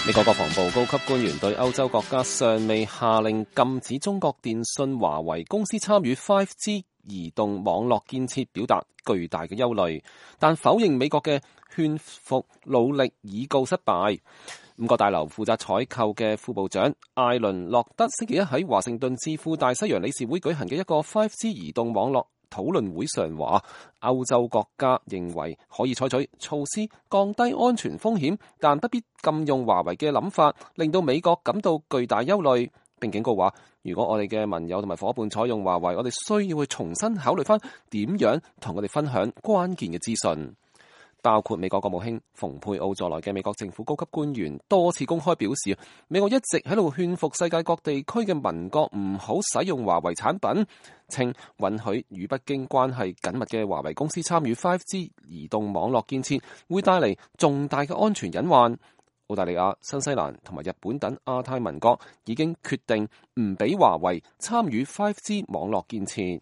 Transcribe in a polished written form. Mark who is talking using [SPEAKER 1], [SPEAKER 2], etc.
[SPEAKER 1] 美國國防部高級官員對歐洲國家尚未下令禁止中國電信華為公司參與 5G 移動網絡建設表達巨大嘅憂慮，但否認美國嘅勸服努力已告失敗。五角大樓負責採購嘅副部長艾倫洛德星期一喺華盛頓智庫大西洋理事會舉行嘅一個 5G 移動網絡討論會上話，歐洲國家認為可以採取措施降低安全風險，但不必禁用華為嘅諗法，令到美國感到巨大憂慮，並警告話，如果我哋嘅盟友同埋夥伴採用華為，我哋需要去重新考慮翻點樣同佢哋分享關鍵嘅資訊。包括美國國務卿蓬佩奧在內嘅美國政府高級官員多次公開表示，美國一直喺度勸服世界各地區嘅盟國唔好使用華為產品，稱允許與北京關係緊密嘅華為公司參與 5G 移動網絡建設，會帶嚟重大嘅安全隱患。澳大利亞、新西蘭同埋日本等亞太盟國已經決定唔俾華為參與 5G 網絡建設。